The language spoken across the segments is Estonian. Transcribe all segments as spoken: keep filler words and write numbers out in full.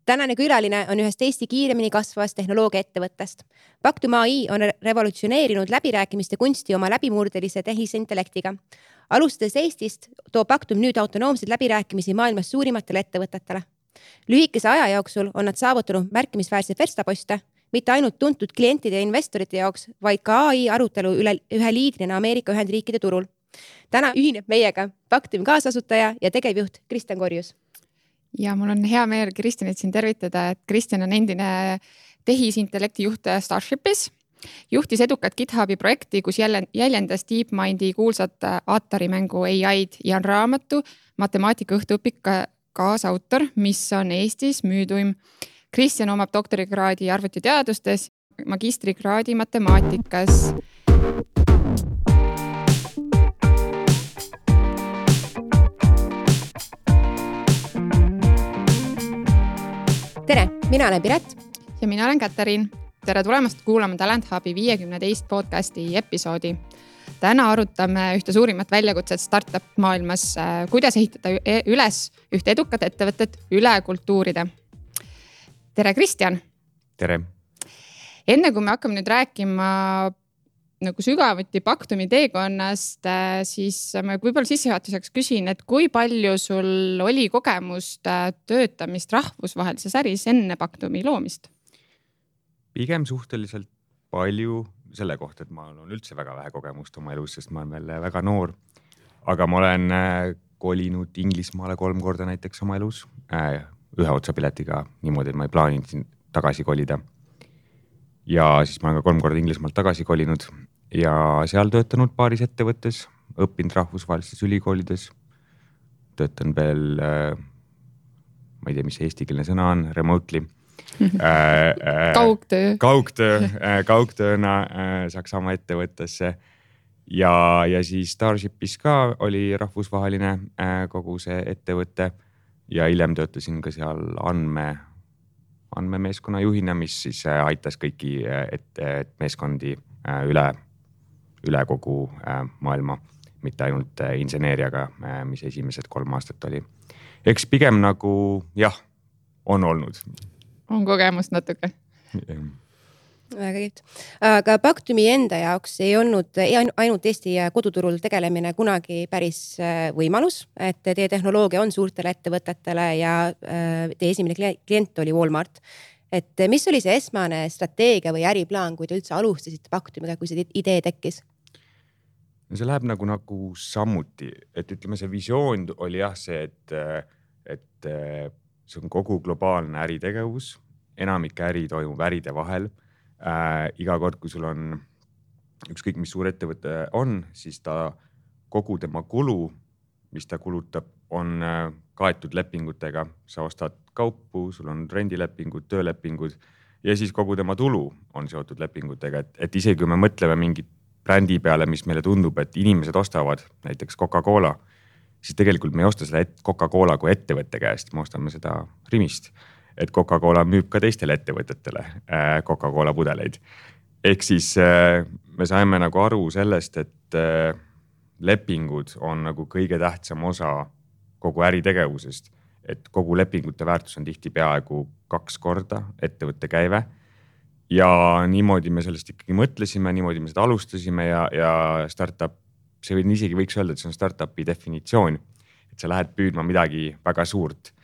Tänane külaline on ühest Eesti kiiremini kasvavast tehnoloogia ettevõttest. Pactum A I on revolutsioneerinud läbirääkimiste kunsti oma läbimurdelise tehisintellektiga. Alustades Eestist toob Pactum nüüd autonoomseid läbirääkimisi maailmas suurimatele ettevõtetele. Lühikese aja jooksul on nad saavutanud märkimisväärseid verstaposte, mitte ainult tuntud klientide ja investorite jaoks, vaid ka A I arutelu üle ühe liidrina Ameerika Ühendriikide turul. Täna ühineb meiega Pactumi kaasasutaja ja tegevjuht Kristjan Korjus. Ja mul on hea meel Kristjanit siin tervitada, et Kristjan on endine tehisintellekti juht Starshipis. Juhtis edukat GitHubi projekti, kus jäljendas DeepMindi kuulsat Atari-mängu A I-d ja on raamatu matemaatika õhtuõpik kaasautor, mis on Eestis müüduim. Kristjan omab doktorikraadi arvutiteadustes, magistrikraadi matemaatikas. Tere, mina olen Piret. Ja mina olen Katariin. Tere tulemast kuulama Talent Hubi viiekümne teist podcasti episoodi. Täna arutame ühte suurimat väljakutset startup maailmas, kuidas ehitada üles ühte edukat ettevõtet üle kultuuride. Tere, Kristjan! Tere! Enne kui me hakkame nüüd rääkima nagu sügavuti Pactumi teekonnast, siis ma võib-olla sissejuhatuseks küsin, et kui palju sul oli kogemust töötamist rahvusvahelises äris enne Pactumi loomist? Pigem suhteliselt palju selle kohta, et ma olen üldse väga vähe kogemust oma elus, sest ma olen veel väga noor. Aga ma olen kolinud Inglismaale kolm korda näiteks oma elus, ühe otsapiletiga niimoodi, et ma ei plaaninud siin tagasi kolida. Ja siis ma olen ka kolm korda Inglismaalt tagasi kolinud ja seal töötanud paaris ettevõttes, õppinud rahvusvahelistes ülikoolides, töötan veel, ma ei tea, mis eestikeelne sõna on, remotely. Kaugtöö. Kaugtöö, kaugtööna Saksamaa ettevõttesse ja, ja siis Starshipis ka oli rahvusvaheline kogu see ettevõte ja hiljem töötasin ka seal andme andmemeeskonna juhina, mis siis aitas kõiki et, et meeskondi üle, üle kogu maailma, mitte ainult inseneeriaga, mis esimesed kolm aastat oli. Eks pigem nagu, jah, on olnud. On kogemust natuke. Väga kiit. Aga Pactumi enda jaoks ei olnud ainult Eesti koduturul tegelemine kunagi päris võimalus, et teie tehnoloogia on suurtele ettevõtetele ja teie esimene klient oli Walmart. Et mis oli see esmane strateegia või äriplaan, kui te üldse alustasite Pactumiga, kui see idee tekkis? See läheb nagu, nagu sammuti, et ütleme, see visioon oli jah see, et, et see on kogu globaalne äritegevus, enamik äri toimub äride vahel. Äh, iga kord, kui sul on ükskõik, mis suur ettevõte on, siis ta kogu tema kulu, mis ta kulutab, on äh, kaetud lepingutega. Sa ostad kaupu, sul on rendilepingud, töölepingud ja siis kogu tema tulu on seotud lepingutega. Et, et isegi kui me mõtleme mingit brändi peale, mis meile tundub, et inimesed ostavad, näiteks Coca-Cola, siis tegelikult me ei osta seda Coca-Cola kui ettevõtte käest, me ostame seda Rimist. Et Coca-Cola müüb ka teistele ettevõtetele Coca-Cola pudeleid. Ehk siis me saime nagu aru sellest, et lepingud on nagu kõige tähtsam osa kogu äritegevusest. Et kogu lepingute väärtus on tihti peaaegu kaks korda ettevõtte käive. Ja niimoodi me sellest ikkagi mõtlesime, niimoodi me seda alustasime ja, ja startup, see või isegi võiks öelda, et see on startupi definitsioon. Et sa lähed püüdma midagi väga suurt.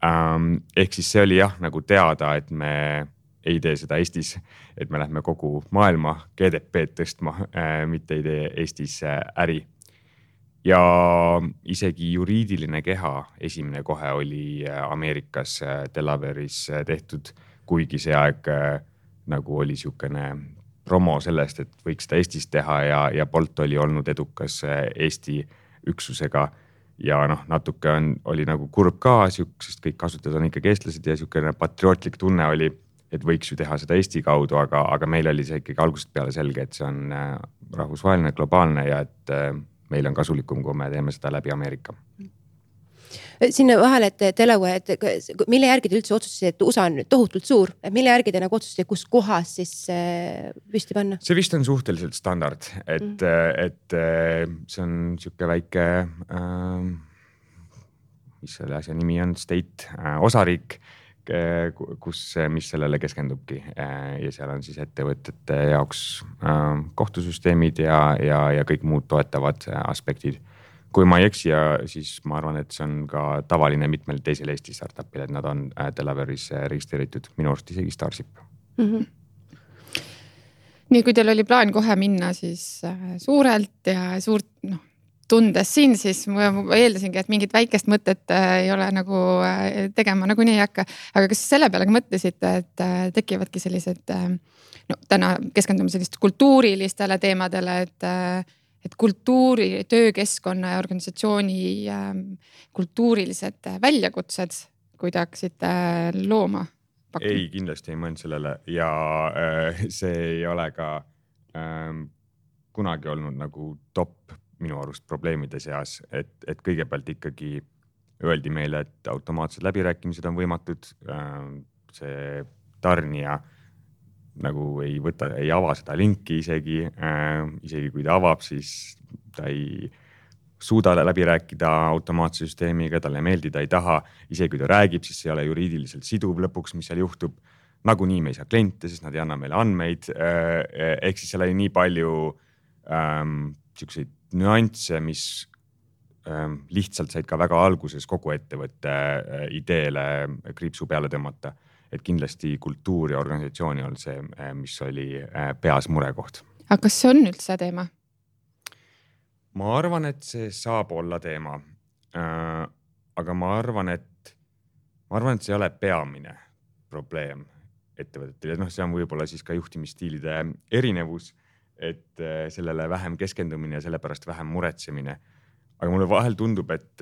Um, ehk siis see oli jah nagu teada, et me ei tee seda Eestis, et me lähme kogu maailma G D P-d tõstma, äh, mitte ei tee Eestis äh, äri. Ja isegi juriidiline keha esimene kohe oli Ameerikas äh, Delaware'is äh, tehtud, kuigi see aeg äh, nagu oli siukene promo sellest, et võiks seda Eestis teha ja, ja Bolt oli olnud edukas äh, Eesti üksusega. Ja noh, natuke on, oli nagu kurb ka, sest kõik kasutajad on ikkagi eestlased ja siukene patriootlik tunne oli, et võiks ju teha seda Eesti kaudu, aga, aga meil oli see ikkagi algusest peale selge, et see on rahvusvaheline, globaalne ja et meil on kasulikum, kui me teeme seda läbi Ameerika. Sinna vahele, et Delaware, et mille järgi te üldse otsustasite, et U S A on tohutult suur, et mille järgi te nagu otsustasite, kus kohas siis püsti panna? See vist on suhteliselt standard, et, mm. et see on siuke väike, äh, mis selle asja nimi on, state, äh, osariik, kus, mis sellele keskendubki ja seal on siis ettevõtete jaoks kohtusüsteemid ja, ja, ja kõik muud toetavad aspektid. Kui ma ei eksi, ja siis ma arvan, et see on ka tavaline mitmel teisel Eesti startupil, et nad on Delaware'is registreeritud, minu arust isegi Starship. Mm-hmm. Nii, kui teil oli plaan kohe minna siis suurelt ja suurt, noh, tundes siin, siis ma eeldasingi, et mingit väikest mõtet ei ole nagu tegema nagu nii ei hakka. Aga kas selle peale ka mõtlesite, et tekivadki sellised, no täna keskendume sellist kultuurilistele teemadele, et, et kultuuri, töökeskkonna ja organisatsiooni kultuurilised väljakutsed, kui te hakkasite looma? Pakku? Ei, kindlasti ei mõelnud sellele ja see ei ole ka ähm, kunagi olnud nagu top minu arust probleemide seas, et, et kõigepealt ikkagi öeldi meile, et automaatsed läbirääkimised on võimatud. See tarnija nagu ei võta, ei ava seda linki isegi, isegi kui ta avab, siis ta ei suuda läbi rääkida automaatse süsteemiga, talle meeldi, ta ei taha. Isegi kui ta räägib, siis see ei ole juriidiliselt siduv lõpuks, mis seal juhtub. Nagunii me ei saa kliente, sest nad ei anna meile andmeid. Ehk siis seal oli nii palju ähm, siukseid nüansse, mis ähm, lihtsalt said ka väga alguses kogu ettevõtte äh, ideele kriipsu peale tõmmata. Et kindlasti kultuur ja organisatsiooni on see, äh, mis oli äh, peas murekoht. Aga kas see on üldse teema? Ma arvan, et see saab olla teema. Äh, aga ma arvan, et, ma arvan, et see ei ole peamine probleem ettevõtetel. No, see on võib-olla siis ka juhtimisstiilide erinevus, et sellele vähem keskendumine ja sellepärast vähem muretsemine. Aga mulle vahel tundub, et,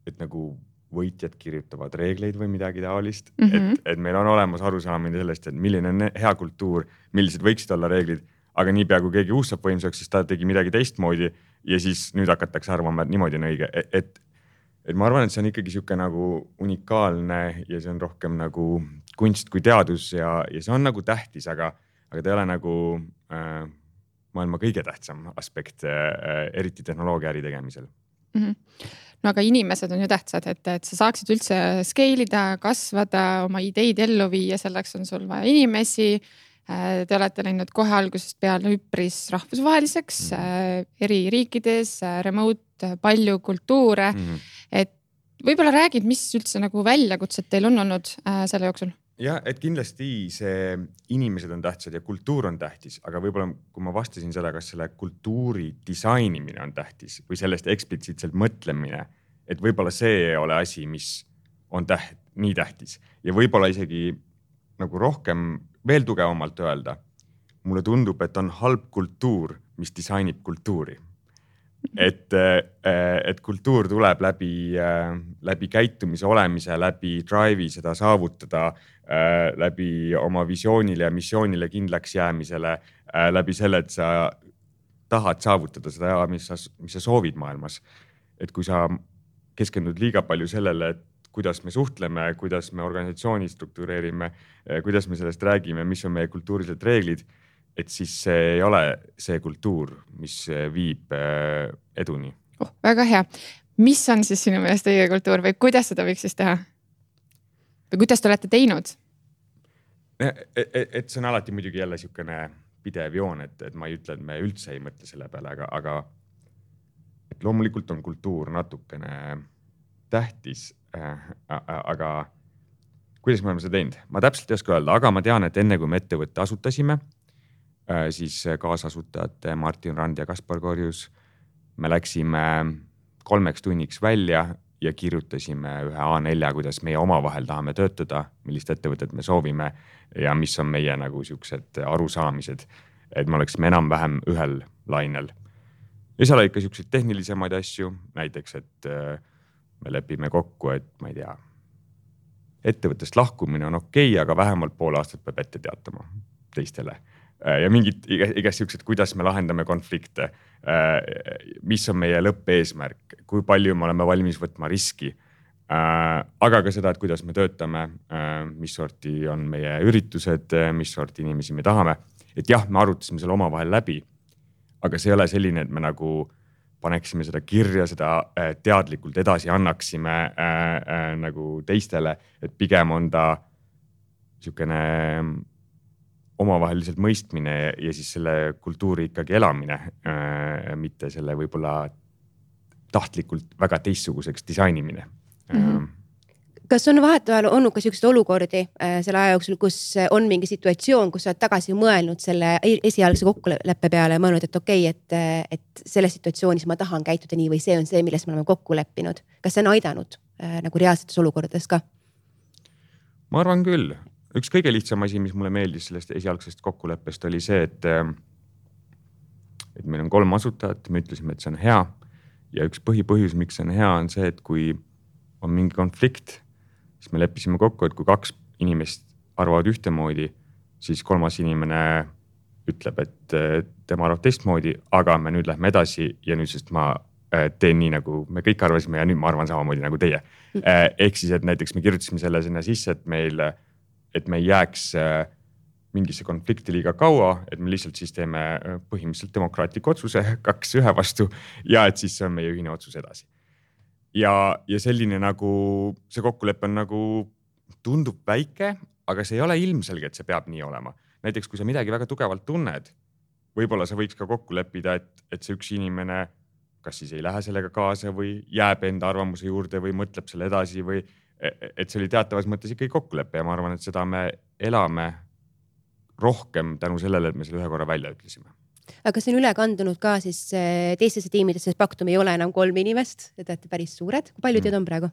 et nagu võitjad kirjutavad reegleid või midagi taolist. Mm-hmm. Et, et meil on olemas arusaamine sellest, et milline on hea kultuur, millised võiksid olla reeglid, aga niipea kui keegi uus saab võimsaks, siis ta tegi midagi teistmoodi ja siis nüüd hakatakse arvama, et niimoodi on õige. Et, et ma arvan, et see on ikkagi siuke nagu unikaalne ja see on rohkem nagu kunst kui teadus ja, ja see on nagu tähtis, aga aga ta ei ole nagu äh, maailma kõige tähtsam aspekt, äh, eriti tehnoloogia äri tegemisel. Mm-hmm. No aga inimesed on ju tähtsad, et, et sa saaksid üldse skeelida, kasvada, oma ideid ellu viia, selleks on sul vaja inimesi. Te olete läinud kohe algusest peale üpris rahvusvaheliseks, mm-hmm. eri riikides, remote, palju kultuure. Mm-hmm. Et võib-olla räägid, mis üldse nagu väljakutsed teil on olnud äh, selle jooksul? Ja, et kindlasti see inimesed on tähtsad ja kultuur on tähtis, aga võib-olla kui ma vastasin seda, kas selle kultuuri disainimine on tähtis või sellest eksplitsiitselt mõtlemine, et võib-olla see ei ole asi, mis on täht, nii tähtis. Ja võib-olla isegi nagu rohkem veel tugevamalt öelda, mulle tundub, et on halb kultuur, mis disainib kultuuri. Et, et kultuur tuleb läbi, läbi käitumise olemise, läbi drive'i seda saavutada, läbi oma visioonile ja missioonile kindlaks jäämisele, läbi selle, et sa tahad saavutada seda, mis sa, mis sa soovid maailmas. Et kui sa keskendud liiga palju sellele, et kuidas me suhtleme, kuidas me organisatsiooni struktureerime, kuidas me sellest räägime, mis on meie kultuurilised reeglid, et siis see ei ole see kultuur, mis viib eduni. Oh, väga hea. Mis on siis sinu meelest õige kultuur või kuidas seda võiks siis teha? Või kuidas te olete teinud? Et, et see on alati muidugi jälle siukene pidev joon, et, et ma ei ütle, et me üldse ei mõtle selle peale, aga, aga et loomulikult on kultuur natukene tähtis, aga kuidas me oleme seda teinud? Ma täpselt ei oska öelda, aga ma tean, et enne kui me ettevõtte asutasime, siis kaasasutajad Martin Rand ja Kaspar Korjus, me läksime kolmeks tunniks välja ja kirjutasime ühe A neljä, kuidas meie omavahel tahame töötada, millist ettevõtet me soovime ja mis on meie nagu siuksed arusaamised, et me oleksime enam-vähem ühel lainel. Ja seal oli ikka siukseid tehnilisemaid asju, näiteks, et me lepime kokku, et ma ei tea, ettevõttest lahkumine on okei, aga vähemalt pool aastat peab ette teatama teistele. Ja mingid igast siuksed, kuidas me lahendame konflikte, mis on meie lõppeesmärk, kui palju me oleme valmis võtma riski, aga ka seda, et kuidas me töötame, mis sorti on meie üritused, mis sorti inimesi me tahame. Et jah, me arutasime selle omavahel läbi, aga see ei ole selline, et me nagu paneksime seda kirja, seda äh, teadlikult edasi annaksime äh, äh, nagu teistele, et pigem on ta niisugune omavaheliselt mõistmine ja siis selle kultuuri ikkagi elamine, äh, mitte selle võib-olla tahtlikult väga teistsuguseks disainimine. Mm-hmm. Kas on vahetevahel olnud ka selliseid olukordi äh, selle aja jooksul, kus on mingi situatsioon, kus sa oled tagasi mõelnud selle esialgse kokkuleppe peale ja mõelnud, et okei, okay, et, et selles situatsioonis ma tahan käituda nii või see on see, milles me oleme kokku leppinud. Kas see on aidanud äh, nagu reaalsetes olukordades ka? Ma arvan küll. Üks kõige lihtsam asi, mis mulle meeldis sellest esialgsest kokkuleppest oli see, et, et meil on kolm asutajat, me ütlesime, et see on hea ja üks põhipõhjus, miks see on hea, on see, et kui on mingi konflikt, siis me leppisime kokku, et kui kaks inimest arvavad ühtemoodi, siis kolmas inimene ütleb, et tema arvab teistmoodi, aga me nüüd lähme edasi ja nüüd sest ma teen nii, nagu me kõik arvasime ja nüüd ma arvan samamoodi nagu teie. Ehk siis, et näiteks me kirjutasime selle sinna sisse, et meil, et me ei jääks mingisse konflikti liiga kaua, et me lihtsalt siis teeme põhimõtteliselt demokraatliku otsuse kaks ühe vastu ja et siis see on meie ühine otsus edasi. Ja, ja selline nagu, see kokkulepe on nagu, tundub väike, aga see ei ole ilmselge, et see peab nii olema. Näiteks, kui sa midagi väga tugevalt tunned, võib-olla sa võiks ka kokku leppida, et, et see üks inimene kas siis ei lähe sellega kaasa või jääb enda arvamuse juurde või mõtleb selle edasi või et see oli teatavas mõttes ikkagi kokkulepe ja ma arvan, et seda me elame rohkem tänu sellele, et me selle ühe korra välja ütlesime. Aga see on üle kandunud ka siis teistesse tiimidesse, sest Pactum ei ole enam kolm inimest, te olete päris suured. Kui palju teid on praegu?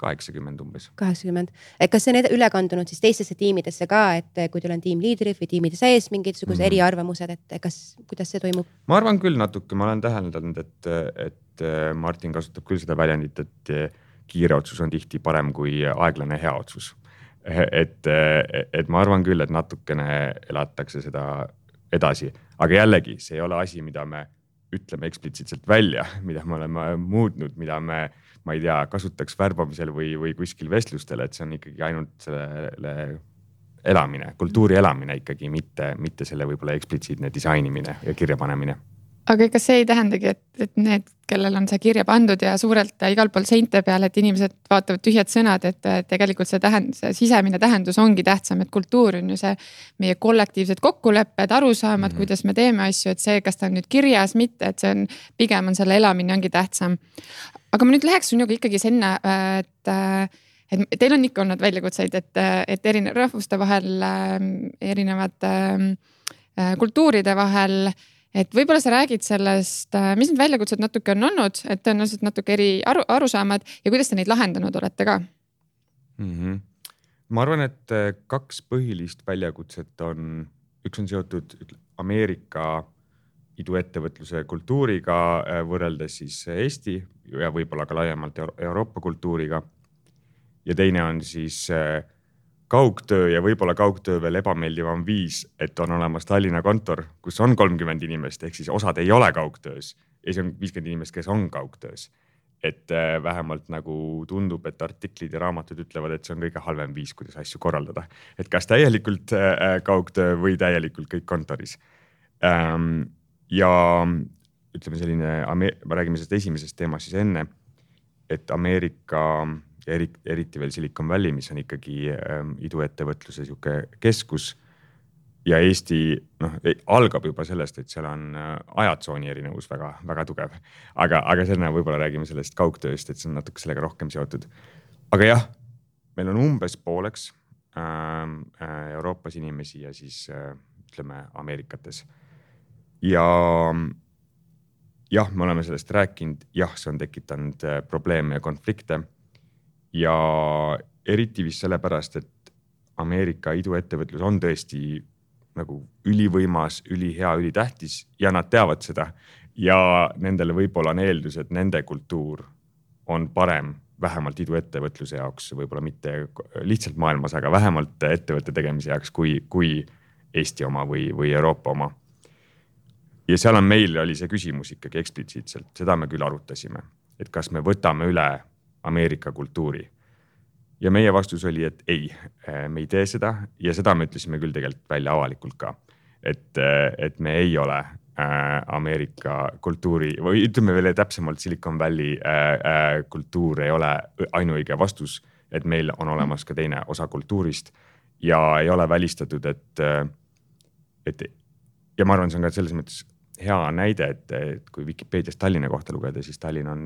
kaheksakümmend umbes. kaheksakümmend. Kas see on üle kandunud siis teistesse tiimidesse ka, et kui teil on tiimliidrid või tiimide sees mingisuguse mm. eriarvamused, et kas, kuidas see toimub? Ma arvan küll natuke, ma olen täheldanud, et, et Martin kasutab küll seda väljendit, et kiire otsus on tihti parem kui aeglane hea otsus. Et, et ma arvan küll, et natukene elatakse seda edasi, aga jällegi see ei ole asi, mida me ütleme eksplitsiitselt välja, mida me oleme muutnud, mida me, ma ei tea, kasutaks värbamisel või, või kuskil vestlustel, et see on ikkagi ainult selle elamine, kultuuri elamine ikkagi, mitte, mitte selle võib-olla eksplitsiitne disainimine ja kirjapanemine. Aga kas see ei tähendagi, et, et need, kellel on see kirja pandud ja suurelt igal pool seinte peal, et inimesed vaatavad tühjad sõnad, et tegelikult see, tähend, see sisemine tähendus ongi tähtsam, et kultuur on ju see meie kollektiivsed kokkulepped, arusaamad, mm-hmm. kuidas me teeme asju, et see, kas ta on nüüd kirjas, mitte, et see on, pigem on selle elamine ongi tähtsam. Aga ma nüüd läheks sinuga ikkagi sinna, et, et teil on ikka olnud väljakutseid, et, et erinev rahvuste vahel, erinevad kultuuride vahel. Et võib-olla sa räägid sellest, mis need väljakutsed natuke on olnud, et tõenäoliselt natuke eri aru, arusaamad ja kuidas te neid lahendanud olete ka? Mm-hmm. Ma arvan, et kaks põhilist väljakutset on, üks on seotud Ameerika iduettevõtluse kultuuriga võrreldes siis Eesti ja võib-olla ka laiemalt Euroopa kultuuriga. Ja teine on siis kaugtöö ja võib-olla kaugtöö veel ebameeldivam viis, et on olemas Tallinna kontor, kus on kolmkümmend inimest, ehk siis osad ei ole kaugtöös ja see on viiskümmend inimest, kes on kaugtöös. Et vähemalt nagu tundub, et artiklid ja raamatud ütlevad, et see on kõige halvem viis, kuidas asju korraldada. Et kas täielikult kaugtöö või täielikult kõik kontoris. Ja ütleme selline, ma räägime sellest esimesest teemast siis enne, et Ameerika ja eriti veel Silicon Valley, mis on ikkagi ähm, iduettevõtluse siuke keskus ja Eesti noh, algab juba sellest, et seal on äh, ajatsooni erinevus väga, väga tugev. Aga, aga selle võib-olla räägime sellest kaugtööst, et see on natuke sellega rohkem seotud. Aga jah, meil on umbes pooleks äh, Euroopas inimesi ja siis äh, ütleme Ameerikates. Ja jah, me oleme sellest rääkinud, jah, see on tekitanud äh, probleeme ja konflikte. Ja eriti vist sellepärast, et Ameerika iduettevõtlus on tõesti nagu ülivõimas, ülihea, ülitähtis ja nad teavad seda. Ja nendele võib-olla on eeldus, et nende kultuur on parem vähemalt iduettevõtluse jaoks, võib-olla mitte lihtsalt maailmas, aga vähemalt ettevõtte tegemise jaoks kui, kui Eesti oma või, või Euroopa oma. Ja seal on meil oli see küsimus ikkagi eksplitsiitselt, seda me küll arutasime, et kas me võtame üle Ameerika kultuuri. Ja meie vastus oli, et ei, me ei tee seda ja seda me ütlesime küll tegelikult välja avalikult ka, et, et me ei ole äh, Ameerika kultuuri või ütleme veel täpsemalt Silicon Valley äh, äh, kultuur ei ole ainuõige vastus, et meil on olemas ka teine osa kultuurist ja ei ole välistatud, et, et ja ma arvan, see on ka selles mõttes hea näide, et, et kui Vikipeedias Tallinna kohta lugeda, siis Tallinn on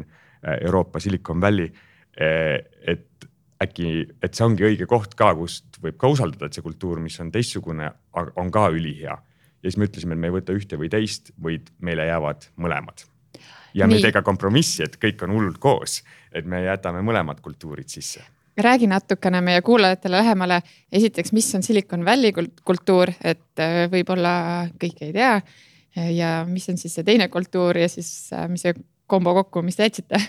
Euroopa Silicon Valley, et äkki, et see ongi õige koht ka, kust võib ka usaldada, et see kultuur, mis on teistsugune, on ka ülihea. Ja siis me ütlesime, et me ei võta ühte või teist, vaid meile jäävad mõlemad. Ja me ei tee ka kompromissi, et kõik on hullult koos, et me jätame mõlemad kultuurid sisse. Räägi natukene meie kuulajatele lähemale. Esiteks, mis on Silicon Valley kultuur, et võib-olla kõik ei tea. Ja mis on siis see teine kultuur ja siis mis see kombo kokku, mis te jätsite?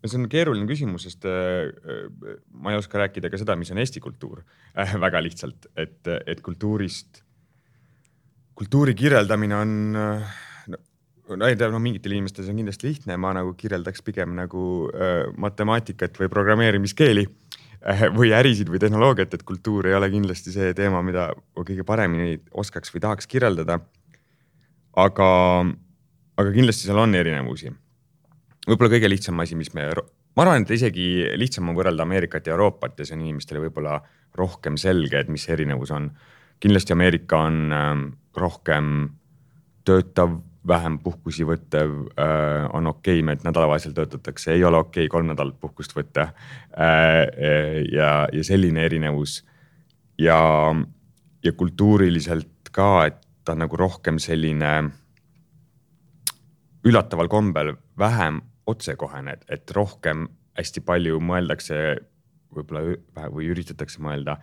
See on keeruline küsimus, sest ma ei oska rääkida ka seda, mis on Eesti kultuur. Väga lihtsalt, et, et kultuurist, kultuuri kirjeldamine on, no ei tea, no mingitel inimestel see on kindlasti lihtne. Ma nagu kirjeldaks pigem nagu matemaatikat või programmeerimiskeeli või ärisid või tehnoloogiat, et kultuur ei ole kindlasti see teema, mida kõige paremini oskaks või tahaks kirjeldada. Aga, aga kindlasti seal on erinevusi. Võib-olla kõige lihtsam asi, mis me, ma arvan, et isegi lihtsam on võrrelda Ameerikat ja Euroopat ja see on inimestele võib-olla rohkem selge, et mis erinevus on. Kindlasti Ameerika on rohkem töötav, vähem puhkusi võttev, on okei, et nädalavahelisel töötatakse, ei ole okei kolm nädalat puhkust võtta ja, ja selline erinevus. Ja, ja kultuuriliselt ka, et ta on nagu rohkem selline üllataval kombel vähem otsekohene, et rohkem hästi palju mõeldakse võib-olla või üritatakse mõelda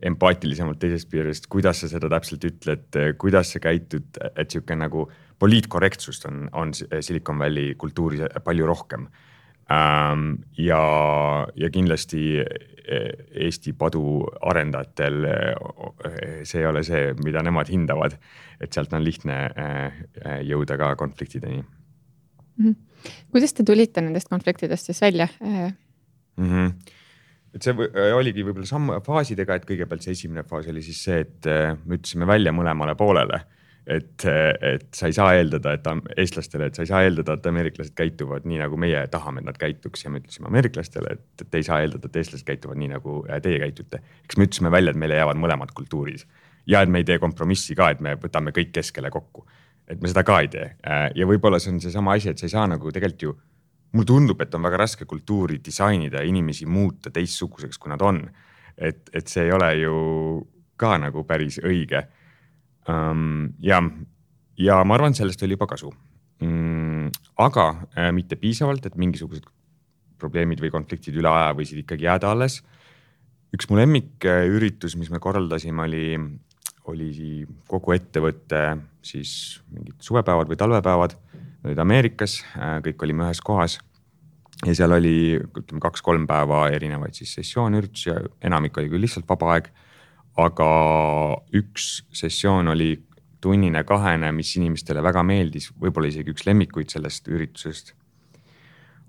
empaatilisemalt teisest piirist, kuidas sa seda täpselt ütled, kuidas sa käitud, et siuke nagu poliitkorrektsust on, on Silicon Valley kultuuris palju rohkem. Ja, ja kindlasti Eesti padu arendajatel see ei ole see, mida nemad hindavad, et sealt on lihtne jõuda ka konfliktideni. Kuidas te tulite nendest konfliktidest siis välja? Mm-hmm. Et see oligi võib-olla samm faasidega, et kõigepealt see esimene faas oli siis see, et me ütlesime välja mõlemale poolele, et, et sa ei saa eeldada, et eestlastele, et sa ei saa eeldada, et ameeriklased käituvad nii, nagu meie tahame, et nad käituks ja me ütlesime ameeriklastele, et te ei saa eeldada, et eestlased käituvad nii, nagu teie käitute. Eks me ütlesime välja, et meile jäävad mõlemad kultuurid ja et me ei tee kompromissi ka, et me võtame kõik keskele kokku, et me seda ka ei tee. Ja võib-olla see on see sama asi, et sa ei saa nagu tegelikult ju mul tundub, et on väga raske kultuuri disainida ja inimesi muuta teistsuguseks, kui nad on. Et, et see ei ole ju ka nagu päris õige. Um, ja, ja ma arvan, sellest oli juba kasu. Mm, aga äh, mitte piisavalt, et mingisugused probleemid või konfliktid üle aja võisid ikkagi jääda alles. Üks mu lemmik üritus, mis me korraldasime, oli, oli kogu ettevõtte siis mingid suvepäevad või talvepäevad. Olid Ameerikas, kõik olime ühes kohas ja seal oli ütleme, kaks-kolm päeva erinevaid siis sessioon üritusi ja enamik oli küll lihtsalt vaba aeg, aga üks sessioon oli tunnine kahene, mis inimestele väga meeldis, võib-olla isegi üks lemmikuid sellest üritusest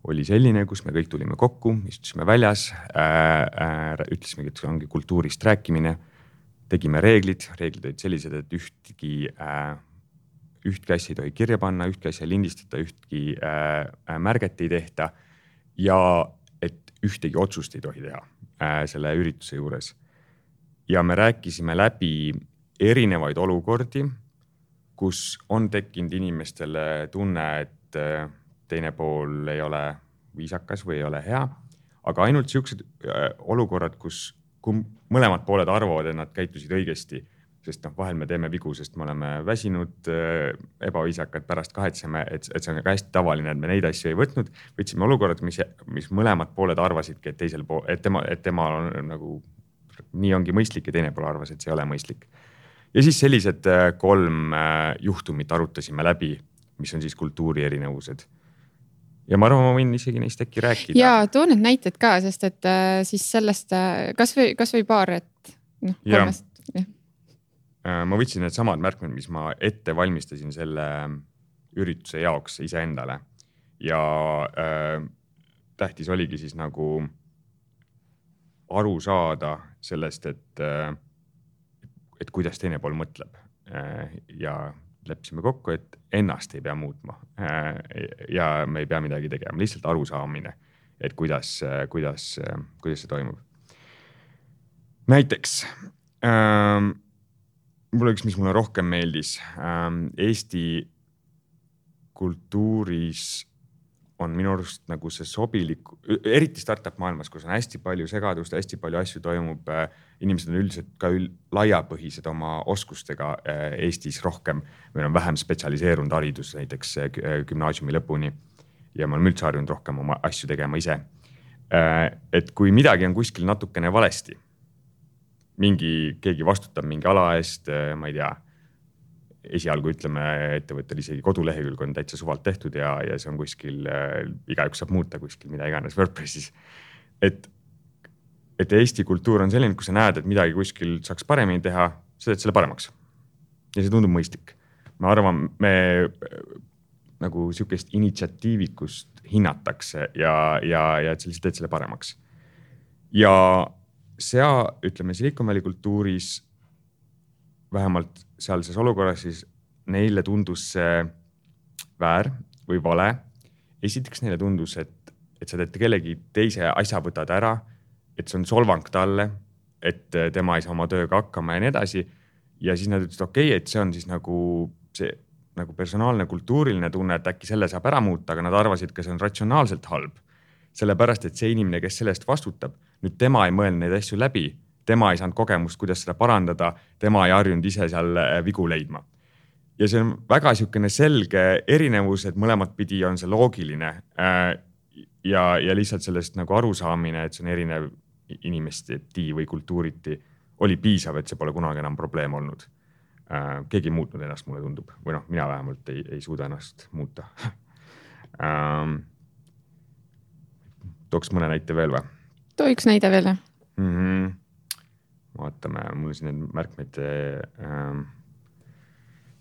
oli selline, kus me kõik tulime kokku, istusime väljas, äh, äh, ütlesimegi, et ongi kultuurist rääkimine, tegime reeglid, reeglid olid sellised, et ühtki äh, ühtki asja ei tohi kirja panna, ühtki asja lindistada, ühtki äh, märget ei tehta ja et ühtegi otsust ei tohi teha äh, selle ürituse juures. Ja me rääkisime läbi erinevaid olukordi, kus on tekkinud inimestele tunne, et äh, teine pool ei ole viisakas või ei ole hea, aga ainult siuksed äh, olukorrad, kus kui mõlemad pooled arvavad, et nad käitusid õigesti, sest noh, vahel me teeme vigu, sest me oleme väsinud, ebaviisakad, pärast kahetseme, et, et see on ka hästi tavaline, et me neid asju ei võtnud. Võtsime olukorrad, mis, mis mõlemad pooled arvasidki, et, teisel pool, et, tema, et tema on nagu, nii ongi mõistlik ja teine pool arvas, et see ei ole mõistlik. Ja siis sellised kolm juhtumit arutasime läbi, mis on siis kultuuri erinevused. Ja ma arvan, ma võin isegi neist äkki rääkida. Ja too need näited ka, sest et siis sellest, kas või, kas või paar, et noh, kolmest. Ja. Ma võtsin need samad märkmed, mis ma ette valmistasin selle ürituse jaoks iseendale. Ja äh, tähtis oligi siis nagu aru saada sellest, et, äh, et kuidas teine pool mõtleb. Äh, ja leppisime kokku, et ennast ei pea muutma ja me ei pea midagi tegema, lihtsalt arusaamine, et kuidas, kuidas, kuidas see toimub. Näiteks ähm, mul üks, mis mulle rohkem meeldis, ähm, Eesti kultuuris on minu arust nagu see sobilik, eriti startup maailmas, kus on hästi palju segadust, hästi palju asju toimub. Inimesed on üldiselt ka üld, laiapõhised oma oskustega Eestis rohkem. Meil on vähem spetsialiseerunud haridus näiteks gümnaasiumi lõpuni ja me oleme üldse harjunud rohkem oma asju tegema ise. Et kui midagi on kuskil natukene valesti, mingi, keegi vastutab mingi ala eest, ma ei tea, esialgu ütleme, ettevõttel isegi kodulehekülg on täitsa suvalt tehtud ja, ja see on kuskil, igaüks saab muuta kuskil mida iganes WordPressis. Et, et Eesti kultuur on selline, kui sa näed, et midagi kuskil saaks paremini teha, sa teed selle paremaks. Ja see tundub mõistlik. Ma arvan, me nagu sihukest initsiatiivikust hinnatakse ja, ja, ja et sa lihtsalt teed selle paremaks. Ja sea, ütleme, Silicon Valley kultuuris vähemalt sealses olukorras siis neile tundus see väär või vale. Esiteks neile tundus, et, et sa teed kellegi teise asja võtad ära, et see on solvang talle, et tema ei saa oma tööga hakkama ja nii edasi. Ja siis nad ütlesid, okei, okay, et see on siis nagu see nagu personaalne kultuuriline tunne, et äkki selle saab ära muuta, aga nad arvasid, ka see on ratsionaalselt halb. Sellepärast, et see inimene, kes sellest vastutab, nüüd tema ei mõelnud neid asju läbi. Tema ei saanud kogemust, kuidas seda parandada, tema ei harjunud ise seal vigu leidma. Ja see on väga sihukene selge erinevus, et mõlemat pidi on see loogiline ja, ja lihtsalt sellest nagu arusaamine, et see on erinev inimesteti või kultuuriti, oli piisav, et see pole kunagi enam probleem olnud. Keegi ei muutnud ennast, mulle tundub. Või noh, mina vähemalt ei, ei suuda ennast muuta. Tooks mõne näite veel või? Too üks näide veel. Mm-hmm. Vaatame, mul siin need märkmed äh,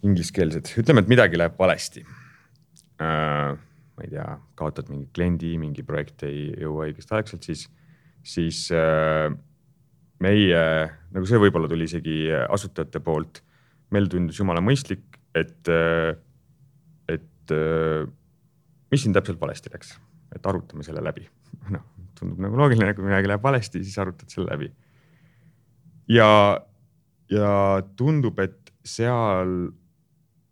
ingliskeelsed. Ütleme, et midagi läheb valesti. Äh, ma ei tea, kaotad mingi kliendi, mingi projekt ei jõua õigest aegselt, siis, siis äh, meie, nagu see võib-olla tuli isegi asutajate poolt, meil tundus jumala mõistlik, et, et mis siin täpselt valesti läks, et arutame selle läbi. No, tundub nagu loogiline, kui midagi läheb valesti, siis arutad selle läbi. Ja, ja tundub, et seal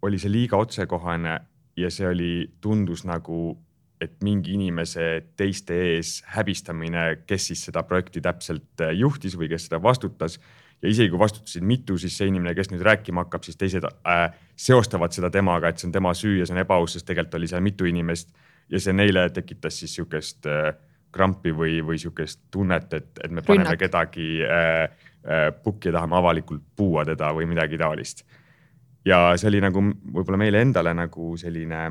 oli see liiga otsekohane ja see oli, tundus nagu, et mingi inimese teiste ees häbistamine, kes siis seda projekti täpselt juhtis või kes seda vastutas. Ja isegi kui vastutasid mitu, siis see inimene, kes nüüd rääkima hakkab, siis teised äh, seostavad seda temaga, et see on tema süü ja see on ebaaus, sest tegelikult oli seal mitu inimest ja see neile tekitas siis sihukest äh, krampi või, või sihukest tunnet, et, et me paneme Rünnak. kedagi äh, pukki ja tahame avalikult puua teda või midagi taolist. Ja see oli nagu võib-olla meile endale nagu selline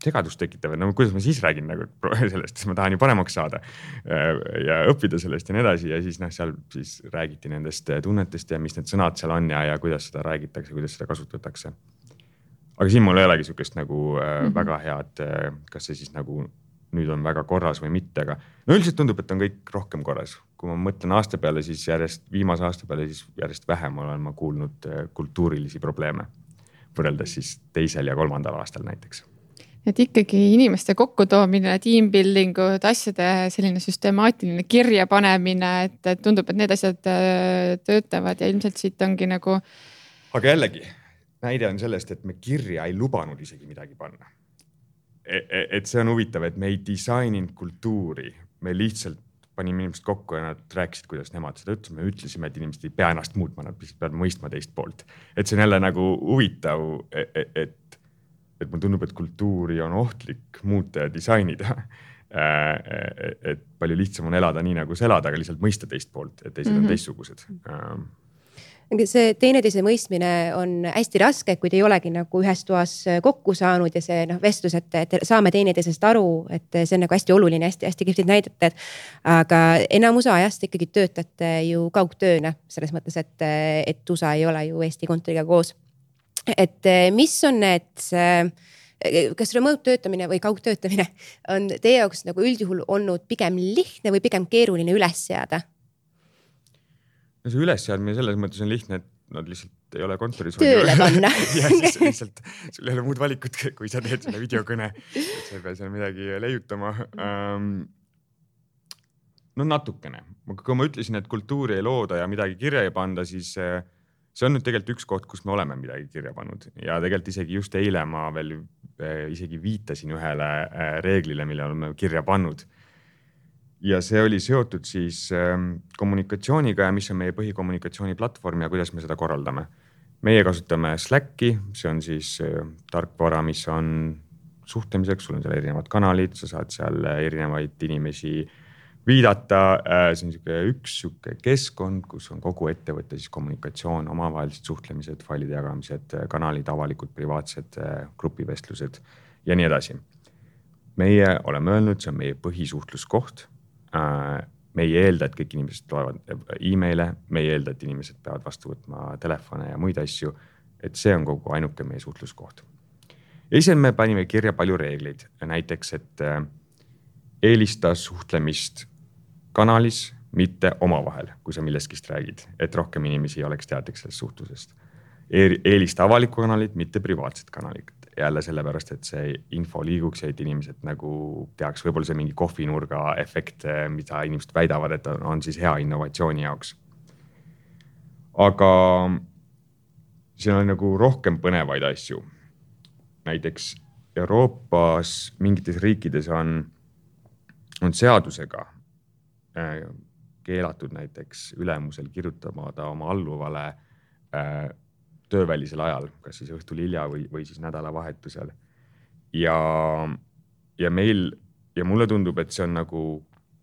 segadust tekitav, et no kuidas ma siis räägin nagu sellest, siis ma tahan ju paremaks saada ja õppida sellest ja nii edasi ja siis noh, seal siis räägiti nendest tunnetest ja mis need sõnad seal on ja, ja kuidas seda räägitakse, kuidas seda kasutatakse. Aga siin mul ei olegi sihukest nagu mm-hmm. väga head, kas see siis nagu nüüd on väga korras või mitte, aga no üldiselt tundub, et on kõik rohkem korras. Kui ma mõtlen aasta peale, siis järjest, viimase aasta peale, siis järjest vähem olen ma kuulnud kultuurilisi probleeme võrreldes siis teisel ja kolmandal aastal näiteks. Et ikkagi inimeste kokkutoomine, teambuildingud, asjade selline süstemaatiline kirja panemine, et tundub, et need asjad töötavad ja ilmselt siit ongi nagu... Aga jällegi, näide on sellest, et me kirja ei lubanud isegi midagi panna. Et see on huvitav, et me ei disaininud kultuuri, me lihtsalt panime inimesed kokku ja nad rääkisid, kuidas nemad seda ütlesid. Me ütlesime, et inimesed ei pea ennast muutma, nad peavad mõistma teist poolt. Et see on jälle nagu huvitav, et, et, et mul tundub, et kultuuri on ohtlik muuta ja disainida. Et palju lihtsam on elada nii, nagu sa elad, aga lihtsalt mõista teist poolt, et teised mm-hmm. on teistsugused. See teineteise mõistmine on hästi raske, kui te ei olegi nagu ühes toas kokku saanud ja see noh, vestlus, et, et saame teineteisest aru, et see on nagu hästi oluline, hästi, hästi kihvtid näidete. Aga enamus ajast ikkagi töötate ju kaugtööna, selles mõttes, et, et U S A ei ole ju Eesti kontoriga koos. Et mis on need, kas remote töötamine või kaugtöötamine on teie jaoks nagu üldjuhul olnud pigem lihtne või pigem keeruline üles seada? No see ülesseadmine selles mõttes on lihtne, et nad lihtsalt ei ole kontoris. Tööle panna. ja siis lihtsalt sul ei ole muud valikut, kui sa teed selle videokõne, et sa ei pea seal midagi leiutama. No natukene. Kui ma ütlesin, et kultuuri ei looda ja midagi kirja ei panda, siis see on nüüd tegelikult üks koht, kus me oleme midagi kirja pannud. Ja tegelikult isegi just eile ma veel isegi viitasin ühele reeglile, mille oleme kirja pannud. Ja see oli seotud siis kommunikatsiooniga ja mis on meie põhikommunikatsiooniplatvorm ja kuidas me seda korraldame. Meie kasutame Slacki, see on siis tarkvara, mis on suhtlemiseks, sul on seal erinevad kanalid, sa saad seal erinevaid inimesi viidata, see on üks keskkond, kus on kogu ettevõtte siis kommunikatsioon, omavahelised suhtlemised, failide jagamised, kanalid, avalikud, privaatsed, grupivestlused ja nii edasi. Meie oleme öelnud, see on meie põhisuhtluskoht. Me ei eelda, et kõik inimesed loevad e-maile, me ei eelda, et inimesed peavad vastu võtma telefone ja muid asju, et see on kogu ainuke meie suhtluskoht. Esil me panime kirja palju reegleid, näiteks, et eelista suhtlemist kanalis, mitte omavahel, kui sa milleskist räägid, et rohkem inimesi oleks teadlik sellest suhtlusest. Eelista avalikku kanalit, mitte privaatsed kanalid. Jälle sellepärast, et see info liiguks ja et inimesed nagu teaks võib-olla see mingi kohvinurga efekt, mida inimesed väidavad, et on siis hea innovatsiooni jaoks. Aga siin on nagu rohkem põnevaid asju. Näiteks Euroopas mingites riikides on, on seadusega keelatud näiteks ülemusel kirjutamata oma alluvale töövälisel ajal, kas siis õhtul hilja või, või siis nädalavahetusel. Ja, ja meil, ja mulle tundub, et see on nagu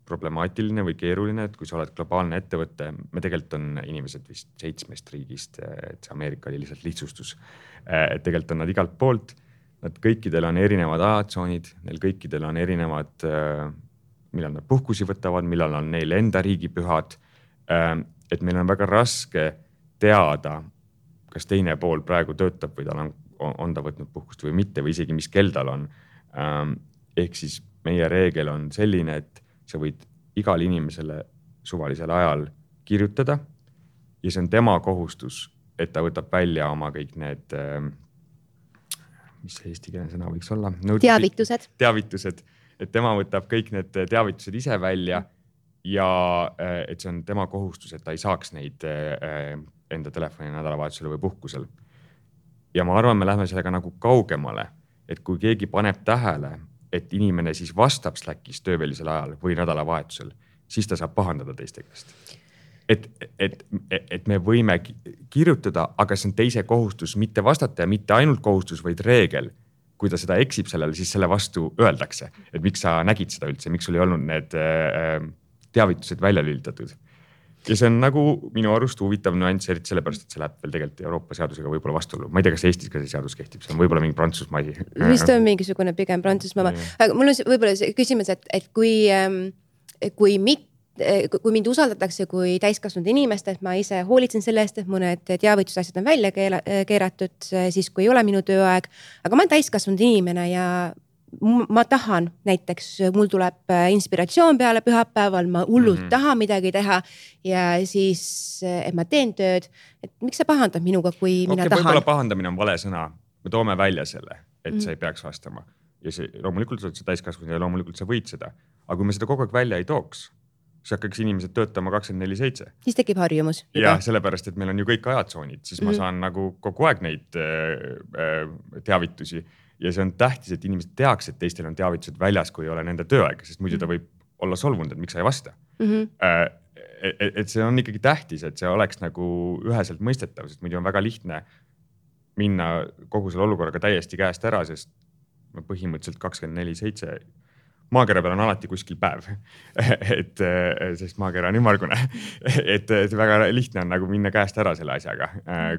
problemaatiline või keeruline, et kui sa oled globaalne ettevõte, me tegelikult on inimesed vist seitsmest riigist, et see Ameerika oli lihtsalt lihtsustus. Et tegelikult on nad igalt poolt, nad kõikidel on erinevad ajatsoonid, neil kõikidel on erinevad, millal nad puhkusi võtavad, millal on neil enda riigipühad, et meil on väga raske teada, kas teine pool praegu töötab või tal on, on ta võtnud puhkust või mitte või isegi mis kell tal on. Ehk siis meie reegel on selline, et sa võid igal inimesele suvalisel ajal kirjutada ja see on tema kohustus, et ta võtab välja oma kõik need, mis see eesti keele sõna võiks olla? Teavitused. Teavitused, et tema võtab kõik need teavitused ise välja ja et see on tema kohustus, et ta ei saaks neid enda telefoni nädalavahetusel või puhkusel. Ja ma arvan, me lähme sellega nagu kaugemale, et kui keegi paneb tähele, et inimene siis vastab Slackis töövälisel ajal või nädalavahetusel, siis ta saab pahandada teiste käest. Et, et, et me võime kirjutada, aga see on teise kohustus mitte vastata ja mitte ainult kohustus, vaid reegel. Kui ta seda eksib sellele, siis selle vastu öeldakse, et miks sa nägid seda üldse, miks sul ei olnud need teavitused välja lülitatud. Ja see on nagu minu arust huvitav nüanss, eriti sellepärast, et see läheb veel tegelikult Euroopa seadusega võib-olla vastuolu. Ma ei tea, kas Eestis ka see seadus kehtib, see on võib-olla mingi Prantsusmaa asi. Vist on mingisugune pigem Prantsusmaa. Aga mul on võib-olla see küsimus, et, et kui, kui, mit, kui mind usaldatakse kui täiskasvanud inimest, et ma ise hoolitsen selle eest, et mõned teavitusasjad on välja keeratud, siis kui ei ole minu tööaeg, aga ma olen täiskasvanud inimene ja ma tahan, näiteks mul tuleb inspiratsioon peale pühapäeval, ma hullult mm -hmm. tahan midagi teha ja siis, et ma teen tööd, et miks sa pahandad minuga, kui mina okay, tahan? Võib-olla pahandamine on vale sõna, me toome välja selle, et mm -hmm. sa ei peaks vastama ja see, loomulikult sa oled täiskasvanud ja loomulikult sa võid seda, aga kui me seda kogu aeg välja ei tooks, siis hakkaks inimesed töötama kakskümmend neli seitse. Siis tekib harjumus. Ja sellepärast, et meil on ju kõik ajatsoonid, siis mm -hmm. ma saan nagu kogu aeg neid äh, teavitusi. Ja see on tähtis, et inimesed teaks, et teistel on teavitused väljas, kui ei ole nende tööaega, sest muidu ta võib olla solvunud, et miks sa ei vasta. Mm-hmm. Et, et see on ikkagi tähtis, et see oleks nagu üheselt mõistetav, sest muidu on väga lihtne minna kogu selle olukorraga täiesti käest ära, sest põhimõtteliselt kakskümmend neli seitse maakera peal on alati kuskil päev, et sest maakera on ümmargune, et, et väga lihtne on nagu minna käest ära selle asjaga,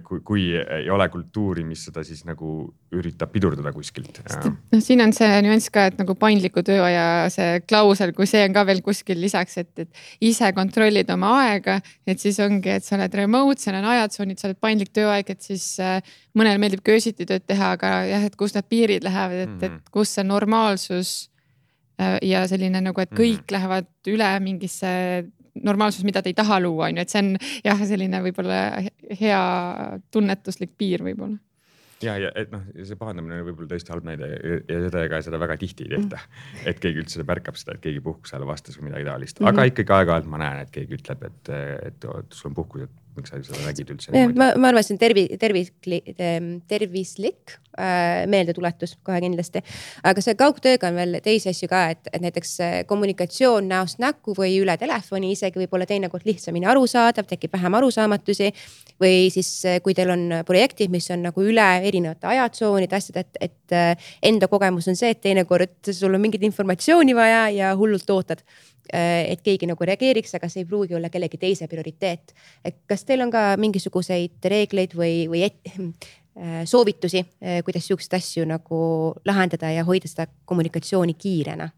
kui, kui ei ole kultuuri, mis seda siis nagu üritab pidurdada kuskilt. No, siin on see nüanss ka, et nagu paindliku tööaja see klausel, kui see on ka veel kuskil lisaks, et, et ise kontrollid oma aega, et siis ongi, et sa oled remote, seal on ajatsoonid, sa oled paindlik tööaeg, et siis mõnel meeldib köösiti tööd teha, aga jah, et kus need piirid lähevad, et, et kus see normaalsus ja selline nagu, et kõik mm-hmm. lähevad üle mingisse normaalsus, mida te ei taha luua, on ju, et see on jah, selline võib-olla hea tunnetuslik piir võib-olla. Ja, ja et noh, see pahandamine on võib-olla tõesti halb näide ja seda, ega seda väga tihti ei tehta. Et keegi üldse märkab seda, et keegi puhkusele vastas või midagi taolist. Aga mm-hmm. ikkagi aeg-ajalt ma näen, et keegi ütleb, et, et, et sul on puhkus, et miks sa seda nägid üldse. Ma, ma arvan, see on tervi, tervis, tervislik äh, meeldetuletus kohe kindlasti. Aga see kaugtööga on veel teisi asju ka, et, et näiteks kommunikatsioon näost näkku või üle telefoni isegi võib olla teinekord lihtsamini arusaadav, tekib vähem arusaamatusi või siis kui teil on projektid, mis on nagu üle erinevate ajatsoonid, asjad, et, et enda kogemus on see, et teinekord sul on mingit informatsiooni vaja ja hullult ootad, et keegi nagu reageeriks, aga see ei pruugi olla kellegi teise prioriteet. Et kas teil on ka mingisuguseid reegleid või, või et, soovitusi, kuidas siukseid asju nagu lahendada ja hoida seda kommunikatsiooni kiirena?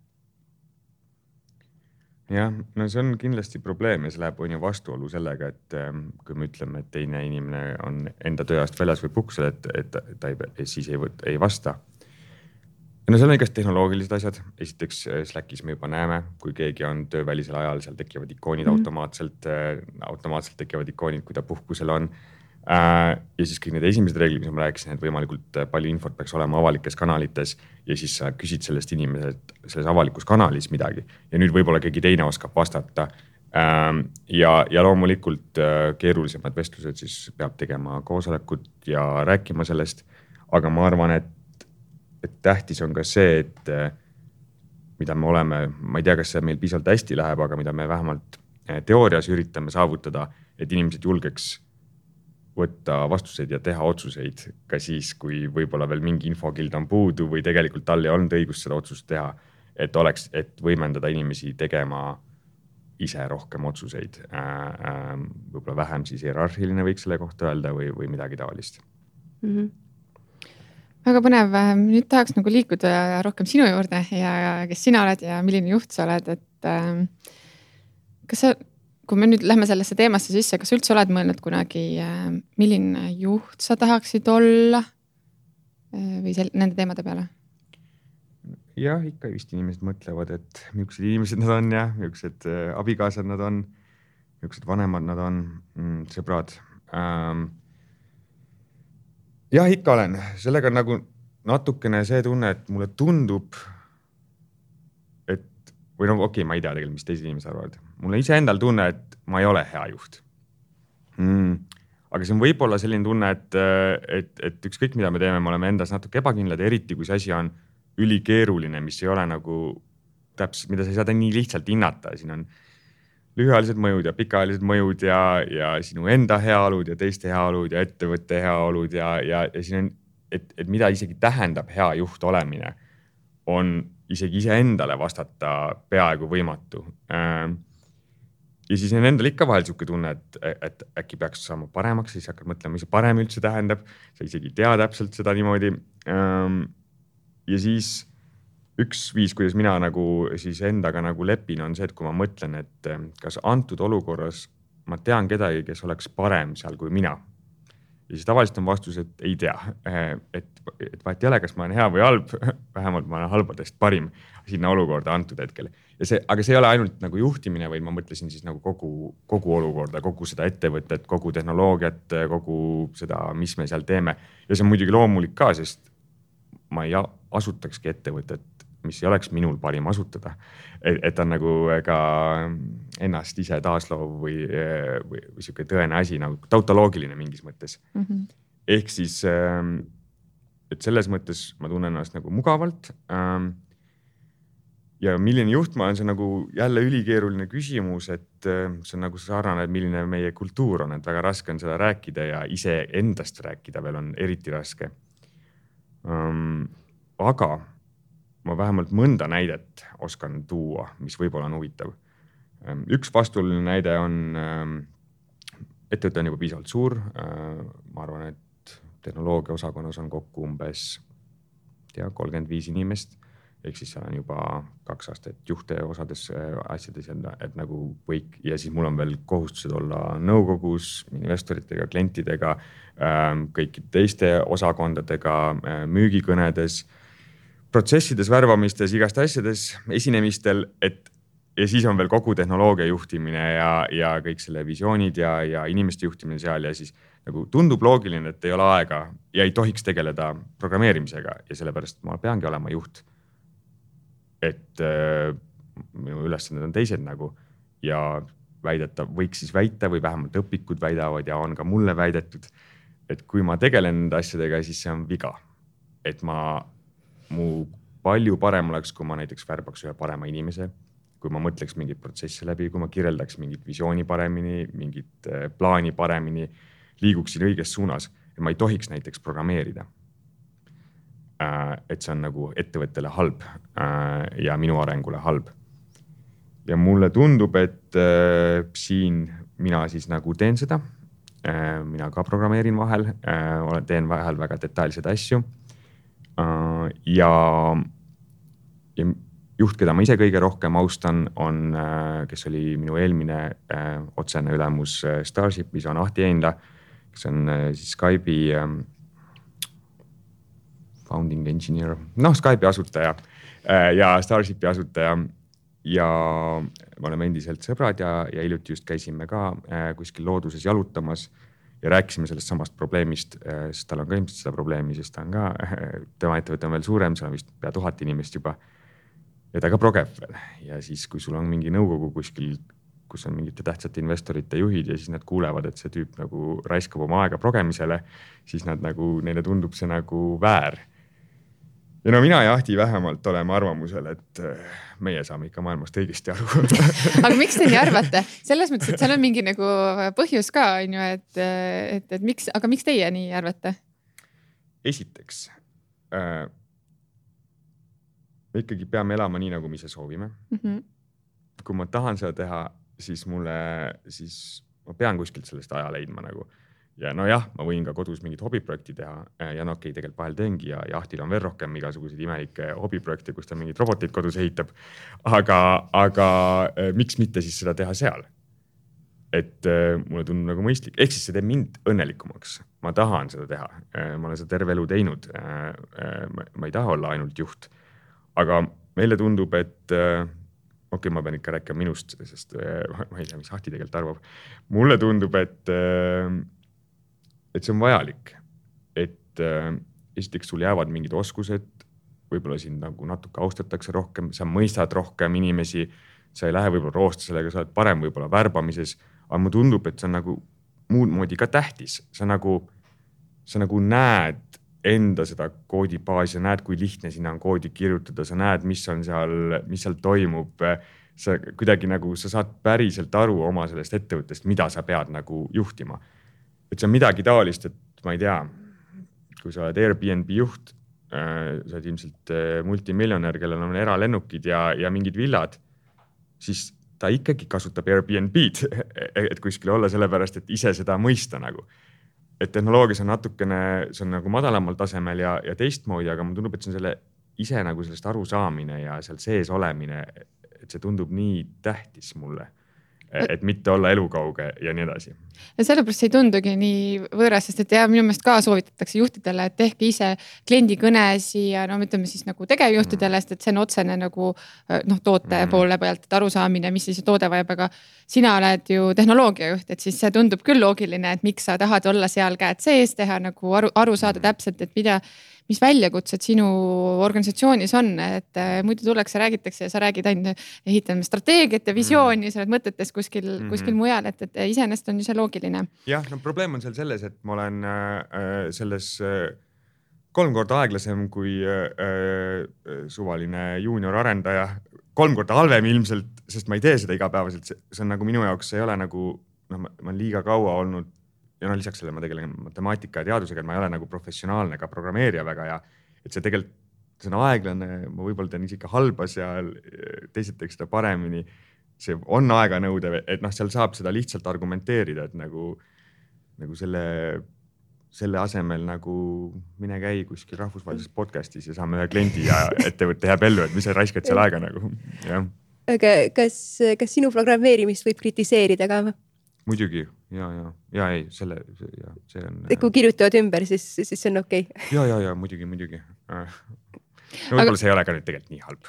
Jah, no see on kindlasti probleem ja see läheb on ju vastuolu sellega, et kui me ütleme, et teine inimene on enda tööajast väljas või puhkusel, et, et ta ei, siis ei, võt, ei vasta. No seal on igast tehnoloogilised asjad. Esiteks Slackis me juba näeme, kui keegi on töövälisel ajal, seal tekivad ikoonid mm. automaatselt, automaatselt tekivad ikoonid, kui ta puhkusel on. Ja siis kõik need esimesed reeglid, mis ma rääkisin, et võimalikult palju infot peaks olema avalikes kanalites ja siis sa küsid sellest inimeselt selles avalikus kanalis midagi ja nüüd võib-olla keegi teine oskab vastata. Ja, ja loomulikult keerulisemad vestlused siis peab tegema koosolekut ja rääkima sellest, aga ma arvan, et et tähtis on ka see, et mida me oleme, ma ei tea, kas see meil piisavalt hästi läheb, aga mida me vähemalt teoorias üritame saavutada, et inimesed julgeks võtta vastuseid ja teha otsuseid ka siis, kui võib-olla veel mingi infokild on puudu või tegelikult tal ei olnud õigust seda otsust teha, et oleks, et võimendada inimesi tegema ise rohkem otsuseid. Võib-olla vähem siis hierarhiline võiks selle kohta öelda või, või midagi taolist. Mm-hmm. Väga põnev. Nüüd tahaks nagu liikuda rohkem sinu juurde ja kes sina oled ja milline juht sa oled, et kas sa, kui me nüüd lähme sellesse teemasse sisse, kas üldse oled mõelnud kunagi, milline juht sa tahaksid olla või sel, nende teemade peale? Jah, ikka vist inimesed mõtlevad, et millised inimesed nad on ja millised abikaasad nad on, millised vanemad nad on, sõbrad. Jah, ikka olen. Sellega on nagu natukene see tunne, et mulle tundub, et, või no okei, okay, ma ei tea tegelikult, mis teised inimesed arvavad. Mulle ise endal tunne, et ma ei ole hea juht. Mm. Aga see on võib-olla selline tunne, et, et, et ükskõik mida me teeme, me oleme endas natuke ebakindlad, eriti kui see asi on ülikeeruline, mis ei ole nagu täpselt, mida sa ei saa nii lihtsalt hinnata. Siin on lühiajalised mõjud ja pikaajalised mõjud ja, ja sinu enda heaolud ja teiste heaolud ja ettevõtte heaolud ja, ja, ja siin on, et, et mida isegi tähendab hea juht olemine, on isegi ise endale vastata peaaegu võimatu. Ja siis on endal ikka vahel siuke tunne, et, et äkki peaks saama paremaks, siis hakkad mõtlema, mis see parem üldse tähendab. Sa isegi tea täpselt seda niimoodi. Ja siis üks viis, kuidas mina nagu siis endaga nagu lepin, on see, et kui ma mõtlen, et kas antud olukorras ma tean kedagi, kes oleks parem seal kui mina. Ja siis tavaliselt on vastus, et ei tea. Et, et vahet ei ole, kas ma olen hea või halb, vähemalt ma olen halbadest parim sinna olukorda antud hetkel. Ja see, aga see ei ole ainult nagu juhtimine, vaid ma mõtlesin siis nagu kogu, kogu olukorda, kogu seda ettevõtet, kogu tehnoloogiat, kogu seda, mis me seal teeme. Ja see on muidugi loomulik ka, sest ma ei asutakski ettevõtet, mis ei oleks minul parim asutada. Et, et on nagu ka ennast ise taasloov või, või, või siuke tõene asi, nagu tautoloogiline mingis mõttes. Mm-hmm. Ehk siis, et selles mõttes ma tunnen ennast nagu mugavalt. Ja milline juht ma olen, see on nagu jälle ülikeeruline küsimus, et see on nagu sarnane, et milline meie kultuur on, et väga raske on seda rääkida ja ise endast rääkida veel on eriti raske. Aga ma vähemalt mõnda näidet oskan tuua, mis võib-olla on huvitav. Üks vastuoluline näide on, ettevõte on juba piisavalt suur. Ma arvan, et tehnoloogia osakonnas on kokku umbes tea, kolmkümmend viis inimest. Ehk siis seal on juba kaks aastat juhte osades asjades, et nagu võik. Ja siis mul on veel kohustused olla nõukogus, investoritega, klientidega, kõikide teiste osakondadega, müügikõnedes, protsessides, värvamistes, igast asjades, esinemistel, et ja siis on veel kogu tehnoloogia juhtimine ja, ja kõik selle visioonid ja, ja inimeste juhtimine seal ja siis nagu tundub loogiline, et ei ole aega ja ei tohiks tegeleda programmeerimisega ja sellepärast ma peangi olema juht. Et äh, minu ülesanded on teised nagu ja väideta, võiks siis väita või vähemalt õpikud väidavad ja on ka mulle väidetud, et kui ma tegelen nende asjadega, siis see on viga. Et ma, mu palju parem oleks, kui ma näiteks värbaks ühe parema inimese, kui ma mõtleks mingit protsessi läbi, kui ma kirjeldaks mingit visiooni paremini, mingit plaani paremini, liiguksin õiges suunas, et ma ei tohiks näiteks programmeerida. Et see on nagu ettevõttele halb ja minu arengule halb. Ja mulle tundub, et siin mina siis nagu teen seda. Mina ka programmeerin vahel, teen vahel väga detailsed asju. Ja, ja juht, keda ma ise kõige rohkem austan, on, kes oli minu eelmine otsene ülemus Starshipis, on Ahti Einla, kes on siis Skype'i founding engineer, noh Skype'i asutaja ja Starshipi asutaja ja me oleme endiselt sõbrad ja, ja hiljuti just käisime ka kuskil looduses jalutamas ja rääkisime sellest samast probleemist, sest tal on ka ilmselt seda probleemi, sest ta on ka, tema ettevõte on veel suurem, seal on vist pea tuhat inimest juba ja ta ka progeb veel ja siis, kui sul on mingi nõukogu kuskil, kus on mingite tähtsate investorite juhid ja siis nad kuulevad, et see tüüp nagu raiskab oma aega progemisele, siis nad nagu, neile tundub see nagu väär. Ja no mina ja Ahti vähemalt oleme arvamusel, et meie saame ikka maailmast õigesti aru. Aga miks te nii arvate? Selles mõttes, et seal on mingi nagu põhjus ka, on ju, et, et, et miks, aga miks teie nii arvate? Esiteks, äh, me ikkagi peame elama nii, nagu me ise soovime. Mm-hmm. Kui ma tahan seda teha, siis mulle, siis ma pean kuskilt sellest aja leidma nagu. Ja no jah, ma võin ka kodus mingit hobiprojekti teha ja no okei, okay, tegelikult vahel teengi ja, ja Ahtil on veel rohkem igasuguseid imelikke hobiprojekte, kus ta mingid robotid kodus ehitab. Aga, aga miks mitte siis seda teha seal? Et mulle tundub nagu mõistlik. Ehk siis see teeb mind õnnelikumaks. Ma tahan seda teha. Ma olen seda terve elu teinud. Ma ei taha olla ainult juht. Aga meile tundub, et okei, okay, ma pean ikka rääkima minust, sest ma ei tea, mis Ahti tegelikult arvab. Mulle tundub, et et see on vajalik, et äh, esiteks sul jäävad mingid oskused, võib-olla sind nagu natuke austatakse rohkem, sa mõistad rohkem inimesi, sa ei lähe võib-olla roosta sellega, sa oled parem võib-olla värbamises, aga mulle tundub, et see on nagu muud moodi ka tähtis. Sa nagu, sa nagu näed enda seda koodibaasi, sa näed, kui lihtne sinna on koodi kirjutada, sa näed, mis on seal, mis seal toimub, sa kuidagi nagu, sa saad päriselt aru oma sellest ettevõttest, mida sa pead nagu juhtima. Et see on midagi taolist, et ma ei tea, kui sa oled Airbnb juht, sa oled ilmselt multimiljonär, kellel on eralennukid ja, ja mingid villad, siis ta ikkagi kasutab Airbnb-d, et kuskil olla sellepärast, et ise seda mõista nagu. Et tehnoloogias on natukene, see on nagu madalamal tasemel ja, ja teistmoodi, aga mulle tundub, et see on selle ise nagu sellest aru saamine ja seal sees olemine, et see tundub nii tähtis mulle. Et mitte olla elukauge ja nii edasi. Ja sellepärast see ei tundugi nii võõras, sest et ja minu meelest ka soovitatakse juhtidele, et tehke ise kliendi kõnesi ja no ütleme siis nagu tegevjuhtidele, sest et see on otsene nagu noh, toote mm. poole pealt, et arusaamine, mis siis toode vajab, aga sina oled ju tehnoloogiajuht, et siis see tundub küll loogiline, et miks sa tahad olla seal käed sees, teha nagu aru, aru saada täpselt, et mida mis väljakutsed sinu organisatsioonis on, et muidu tuleks ja räägitakse ja sa räägid ainult ehitame strateegiat ja visiooni, sa oled mõtetes kuskil, mm-hmm. kuskil mujal, et, et iseenesest on ju see loogiline. Jah, no probleem on seal selles, et ma olen äh, selles äh, kolm korda aeglasem kui äh, suvaline junior arendaja, kolm korda halvem ilmselt, sest ma ei tee seda igapäevaselt, see on nagu minu jaoks, see ei ole nagu, no ma, ma olen liiga kaua olnud ja no lisaks sellele ma tegelen matemaatika ja teadusega, et ma ei ole nagu professionaalne ka programmeerija väga ja et see tegelikult, see on aeglane, ma võib-olla teen isegi halba seal, teised teeks seda paremini, see on aeganõudev, et noh, seal saab seda lihtsalt argumenteerida, et nagu, nagu selle, selle asemel nagu mine käi kuskil rahvusvahelises podcastis ja saame ühe kliendi ja ettevõtte jääb ellu, et mis sa raiskad seal aega nagu, jah. Aga kas, kas sinu programmeerimist võib kritiseerida ka? Muidugi, ja, ja, ja ei, selle, ja, see on... Kui kirjutavad ümber, siis, siis see on okei. Okay. Ja, ja, ja, muidugi, muidugi. no võib-olla aga... see ei ole ka nüüd tegelikult nii halb.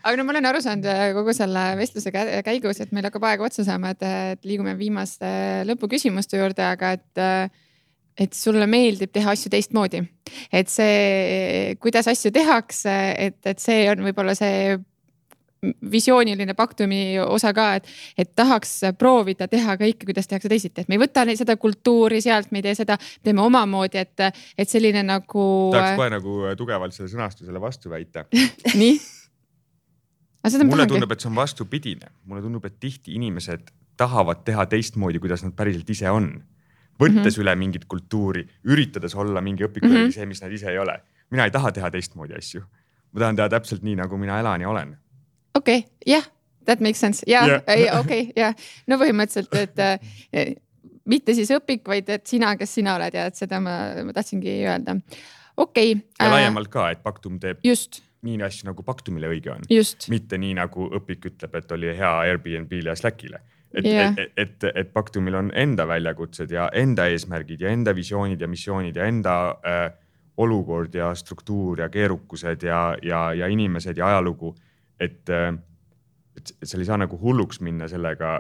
aga no ma olen aru saanud kogu selle vestluse käigus, et meil hakkab aega otsa saama, et, et liigume viimaste lõpuküsimuste juurde, aga et, et sulle meeldib teha asju teistmoodi. Et see, kuidas asju tehakse, et, et see on võib-olla see visiooniline Pactumi osa ka, et, et tahaks proovida teha kõike, kuidas tehakse teisiti, et me ei võta seda kultuuri sealt, me ei tee seda, teeme omamoodi, et, et selline nagu. Tahaks kohe nagu tugevalt selle sõnastusele vastu väita. Nii? Mulle tundub, et see on vastupidine. Mulle tundub, et tihti inimesed tahavad teha teistmoodi, kuidas nad päriselt ise on. Võttes mm -hmm. üle mingit kultuuri, üritades olla mingi õpiku mm -hmm. see, mis nad ise ei ole. Mina ei taha teha teistmoodi asju. Ma tahan teha täpselt nii, nagu mina elan ja olen. Okei, okay, jah, yeah, that makes sense. jah, yeah, okei, okay, jah. Yeah. No põhimõtteliselt, et äh, mitte siis õpik, vaid et sina, kes sina oled ja et seda ma, ma tahtsingi öelda. Okei. Okay, ja äh, laiemalt ka, et Pactum teeb just. Nii asju, nagu Pactumile õige on. Just. Mitte nii, nagu õpik ütleb, et oli hea Airbnb-le ja Slackile. Et, yeah. et, et, et Pactumil on enda väljakutsed ja enda eesmärgid ja enda visioonid ja missioonid ja enda äh, olukord ja struktuur ja keerukused ja, ja, ja inimesed ja ajalugu. Et, et seal ei saa nagu hulluks minna sellega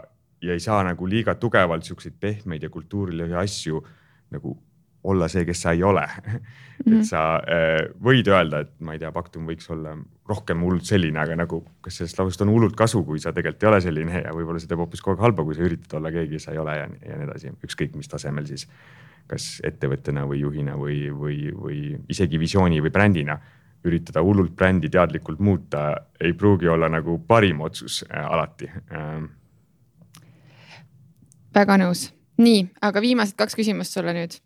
ja ei saa nagu liiga tugevalt siukseid pehmeid ja kultuurilisi asju nagu olla see, kes sa ei ole. Mm-hmm. Et sa äh, võid öelda, et ma ei tea, Pactum võiks olla rohkem hullult selline, aga nagu kas sellest lausest on hullult kasu, kui sa tegelikult ei ole selline ja võib-olla see teeb hoopis kogu aeg halba, kui sa üritad olla keegi, sa ei ole ja, ja nii edasi. Ükskõik mis tasemel siis, kas ettevõttena või juhina või, või, või isegi visiooni või brändina. Üritada hullult brändi teadlikult muuta ei pruugi olla nagu parim otsus äh, alati. Ähm. Väga nõus. Nii, aga viimased kaks küsimust sulle nüüd.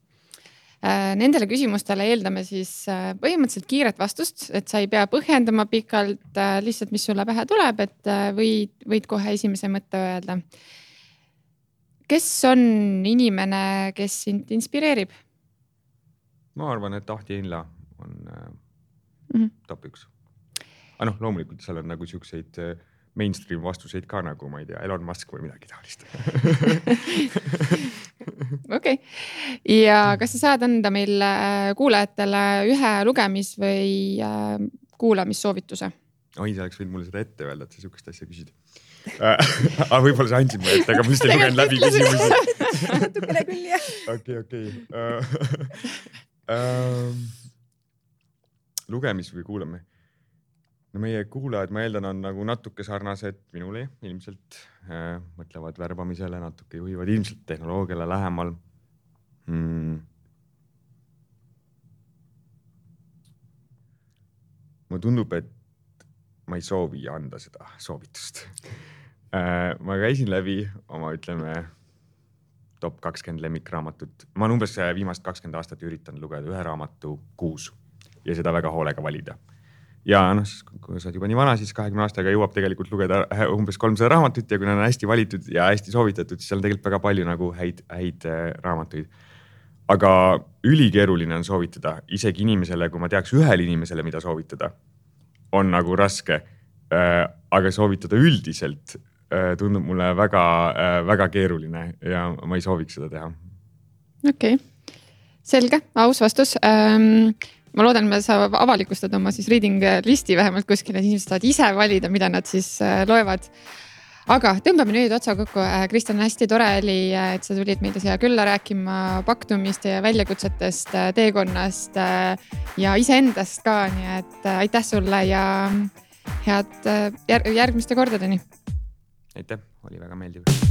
Äh, nendele küsimustele eeldame siis äh, põhimõtteliselt kiiret vastust, et sa ei pea põhjendama pikalt äh, lihtsalt, mis sulle pähe tuleb, et äh, võid, võid kohe esimese mõtte öelda. Kes on inimene, kes sind inspireerib? Ma arvan, et Ahti Einla on... Äh... Mm-hmm. top üks. Aga noh, loomulikult seal on nagu siukseid mainstream vastuseid ka nagu, ma ei tea, Elon Musk või midagi taolist. Okei. Ja kas sa saad anda meil kuulajatele ühe lugemis- või kuulamissoovituse? Oi, sa oleks võinud mulle seda ette öelda, et sa siukest asja küsid. Aga võib-olla sa andsid mulle ette, aga ma lihtsalt ei lugenud läbi küsimusi. Natukene küll, jah. Okei, okei. Lugemis või kuulame? No meie kuulajad, ma eeldan, on nagu natuke sarnased minule ilmselt. Äh, mõtlevad värbamisele, natuke juhivad ilmselt tehnoloogiale lähemal. Hmm. Mulle tundub, et ma ei soovi anda seda soovitust. Äh, ma käisin läbi oma, ütleme, top kakskümmend lemmikraamatut. Ma olen umbes viimast kakskümmend aastat üritan lugeda ühe raamatu kuus. Ja seda väga hoolega valida. Ja noh, kui sa oled juba nii vana, siis kahekümne aastaga jõuab tegelikult lugeda umbes kolmsada raamatut ja kui nad on hästi valitud ja hästi soovitatud, siis seal on tegelikult väga palju nagu häid, häid raamatuid. Aga ülikeeruline on soovitada isegi inimesele, kui ma teaks ühele inimesele, mida soovitada, on nagu raske. Aga soovitada üldiselt tundub mulle väga, väga keeruline ja ma ei sooviks seda teha. Okei, okay. Selge, aus vastus. Ähm... Ma loodan, et sa avalikustad oma siis reading listi vähemalt kuskil, et inimesed saavad ise valida, mida nad siis loevad. Aga tõmbame nüüd otsa kokku. Kristjan, hästi tore oli, et sa tulid meile siia külla rääkima Pactumist ja väljakutsetest, teekonnast ja iseendast ka. Nii et aitäh sulle ja head järgmiste kordadeni. Aitäh, oli väga meeldiv.